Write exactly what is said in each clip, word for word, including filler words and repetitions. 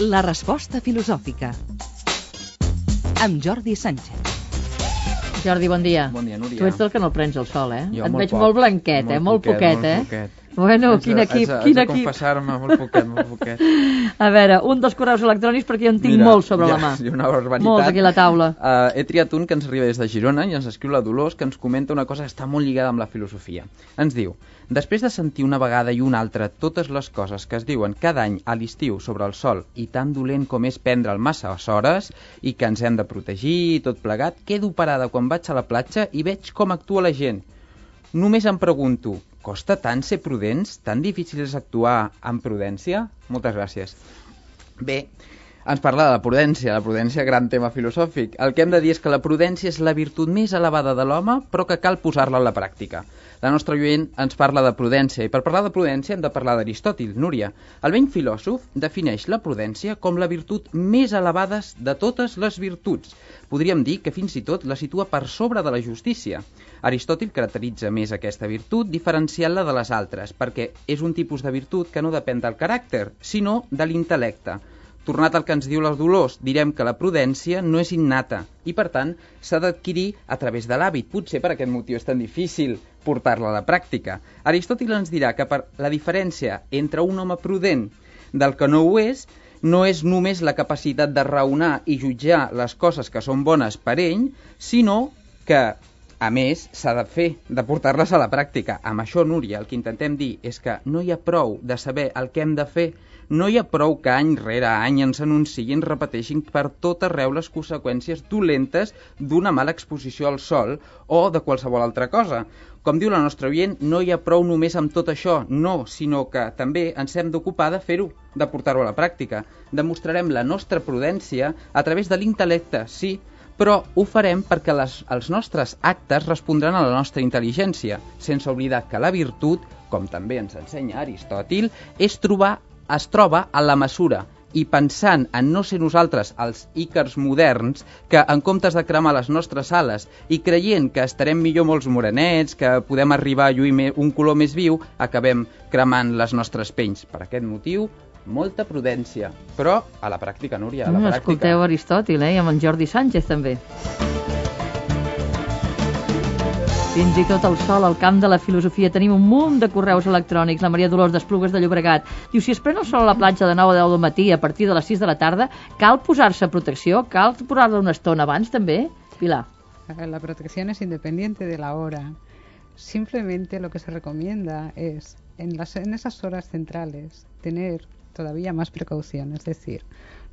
La resposta filosòfica amb Jordi Sánchez. Jordi, bon dia. Bon dia, Núria. Tu ets del que no prens el sol, eh? Jo Et molt veig poc, molt blanquet, molt eh? Molt poquet, poquet, eh? molt poquet. Bueno, Haig de- quin equip, haig de- quin haig de equip. confessar-me molt poquet, molt poquet. A veure, un dels correus electrònics, perquè jo en tinc Mira, molt sobre ja, la mà. sí, una barbaritat. Molts aquí a la taula. Uh, he triat un que ens arriba des de Girona i ens escriu la Dolors, que ens comenta una cosa que està molt lligada amb la filosofia. Ens diu: després de sentir una vegada i una altra totes les coses que es diuen cada any a l'estiu sobre el sol i tan dolent com és prendre'l massa hores i que ens hem de protegir i tot plegat, quedo parada quan vaig a la platja i veig com actua la gent. Només em pregunto, costa tant ser prudents? Tan difícil és actuar amb prudència? Moltes gràcies. Bé, ens parla de la prudència, la prudència, gran tema filosòfic. El que hem de dir és que la prudència és la virtut més elevada de l'home, però que cal posar-la en la pràctica. La nostra oient ens parla de prudència, i per parlar de prudència hem de parlar d'Aristòtil, Núria. El vell filòsof defineix la prudència com la virtut més elevada de totes les virtuts. Podríem dir que fins i tot la situa per sobre de la justícia. Aristòtil caracteritza més aquesta virtut diferenciant-la de les altres, perquè és un tipus de virtut que no depèn del caràcter, sinó de l'intel·lecte. Tornat al que ens diu la Dolors, direm que la prudència no és innata i, per tant, s'ha d'adquirir a través de l'hàbit. Potser per aquest motiu és tan difícil portar-la a la pràctica. Aristòtil ens dirà que per la diferència entre un home prudent del que no ho és, no és només la capacitat de raonar i jutjar les coses que són bones per ell, sinó que, a més, s'ha de fer, de portar-les a la pràctica. Amb això, Núria, el que intentem dir és que no hi ha prou de saber el que hem de fer, no hi ha prou que any rere any ens anunciïn i ens repeteixin per tot arreu les conseqüències dolentes d'una mala exposició al sol o de qualsevol altra cosa. Com diu la nostra oient, no hi ha prou només amb tot això, no, sinó que també ens hem d'ocupar de fer-ho, de portar-ho a la pràctica. Demostrarem la nostra prudència a través de l'intel·lecte, sí, però ho farem perquè les, els nostres actes respondran a la nostra intel·ligència, sense oblidar que la virtut, com també ens ensenya Aristòtil, és trobar es troba a la mesura, i pensant en no ser nosaltres els ícars moderns, que en comptes de cremar les nostres ales i creient que estarem millor molts morenets, que podem arribar a lluir un color més viu, acabem cremant les nostres penys. Per aquest motiu, molta prudència, però a la pràctica, Núria, a la Mm, pràctica. escolteu Aristòtil, eh? I amb en Jordi Sánchez també. Fins i tot al sol, al camp de la filosofia, tenim un munt de correus electrònics. La Maria Dolors d'Esplugues de Llobregat diu: si es pren el sol a la platja de nou a deu del matí a partir de les sis de la tarda, cal posar-se protecció? Cal posar-la una estona abans també? Pilar. La protección es independiente de la hora. Simplemente lo que se recomienda es, en, las, en esas horas centrales, tener todavía más precaución, es decir,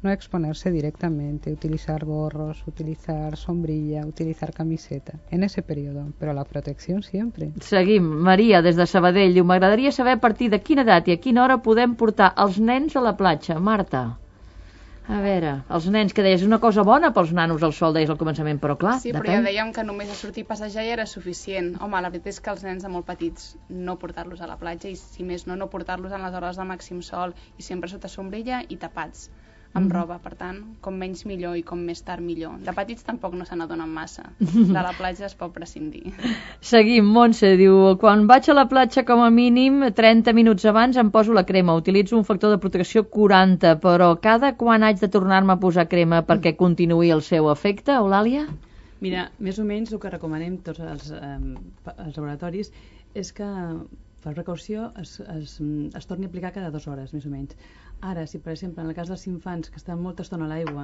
no exponerse directamente, utilizar gorros, utilizar sombrilla, utilizar camiseta, en ese periodo, però la protecció sempre. Seguim. Maria, des de Sabadell, diu: m'agradaria saber a partir de quina edat i a quina hora podem portar els nens a la platja. Marta. A veure, els nens, que deies, una cosa bona pels nanos al sol, deies al començament, però clar, Sí, però depèn. ja dèiem que només a sortir a passejar ja era suficient. Home, la veritat és que els nens de molt petits no portar-los a la platja i, si més no, no portar-los en les hores de màxim sol i sempre sota sombrilla i tapats amb Mhm. roba. Per tant, com menys millor i com més tard millor. De petits tampoc no se n'adonen massa. De la platja es pot prescindir. Seguim. Montse diu: quan vaig a la platja, com a mínim trenta minuts abans em poso la crema. Utilitzo un factor de protecció quaranta, però cada quan haig de tornar-me a posar crema perquè continuï el seu efecte, Eulàlia? Mira, més o menys el que recomanem tots els, eh, els laboratoris és que per precaució es, es, es torni a aplicar cada dues hores, més o menys. Ara, si per exemple en el cas dels infants que estan molta estona a l'aigua,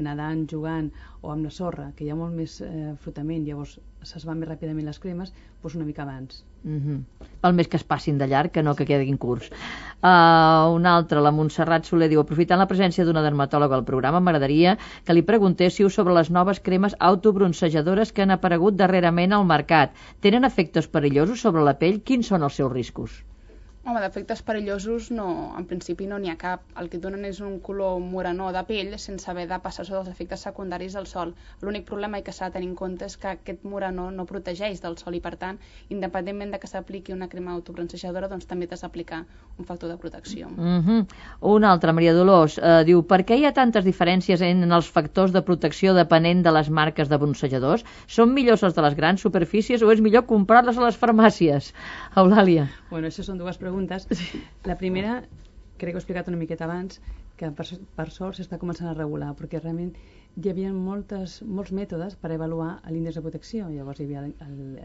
nedant, jugant o amb la sorra, que hi ha molt més eh, frotament, llavors es van més ràpidament les cremes, doncs una mica abans. Mm-hmm. Val més que es passin de llarg que no que quedin curts. Uh, un altre, la Montserrat Soler, diu: aprofitant la presència d'una dermatòloga al programa, m'agradaria que li preguntéssiu sobre les noves cremes autobroncejadores que han aparegut darrerament al mercat. Tenen efectes perillosos sobre la pell? Quins són els seus riscos? Home, d'efectes perillosos no, en principi no n'hi ha cap. El que et donen és un color morenó de pell sense haver de passar sota els efectes secundaris del sol. L'únic problema que s'ha de tenir en compte és que aquest morenó no protegeix del sol i, per tant, independentment de que s'apliqui una crema autobroncejadora, doncs també t'has d'aplicar un factor de protecció. Mm-hmm. Una altra, Maria Dolors, eh, diu: per què hi ha tantes diferències en els factors de protecció depenent de les marques de bronzejadors? Són millors els de les grans superfícies o és millor comprar-les a les farmàcies? Eulàlia. Bueno, això són dues preguntes preguntes. La primera, crec que ho he explicat una miqueta abans, que per, per sort s'està començant a regular, perquè realment hi havia moltes, molts mètodes per avaluar l'índex de protecció. Llavors hi havia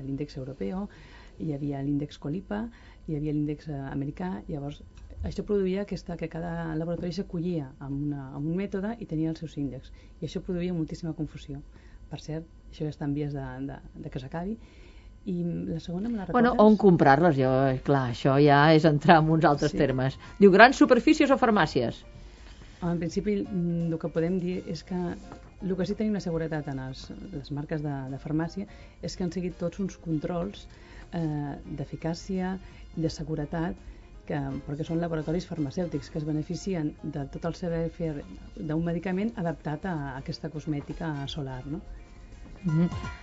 l'índex europeu, hi havia l'índex Colipa, hi havia l'índex americà. Llavors això produïa aquesta, que cada laboratori s'acollia amb, una, amb un mètode i tenia els seus índexs. I això produïa moltíssima confusió. Per cert, això ja està en vies de, de, de que s'acabi. I la segona me la recordes? Bueno, on comprar-les? Jo, clar, això ja és entrar en uns altres Sí. termes. Diu, grans superfícies o farmàcies? En principi, el que podem dir és que el que sí tenim la seguretat en els, les marques de, de farmàcia és que han seguit tots uns controls eh, d'eficàcia, de seguretat, que, perquè són laboratoris farmacèutics que es beneficien de tot el saber fer d'un medicament adaptat a, a aquesta cosmètica solar, no? Mm-hmm.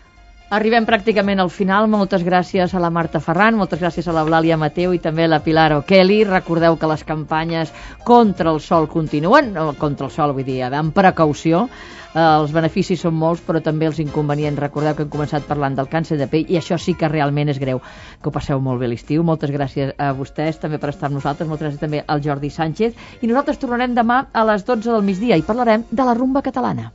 Arribem pràcticament al final. Moltes gràcies a la Marta Ferran, moltes gràcies a la Eulàlia Mateu i també a la Pilar O'Kelly. Recordeu que les campanyes contra el sol continuen, no, contra el sol vull dir, amb precaució. Eh, els beneficis són molts, però també els inconvenients. Recordeu que hem començat parlant del càncer de pell i això sí que realment és greu. Que ho passeu molt bé l'estiu. Moltes gràcies a vostès també per estar amb nosaltres. Moltes gràcies també al Jordi Sánchez. I nosaltres tornarem demà a les dotze del migdia i parlarem de la rumba catalana.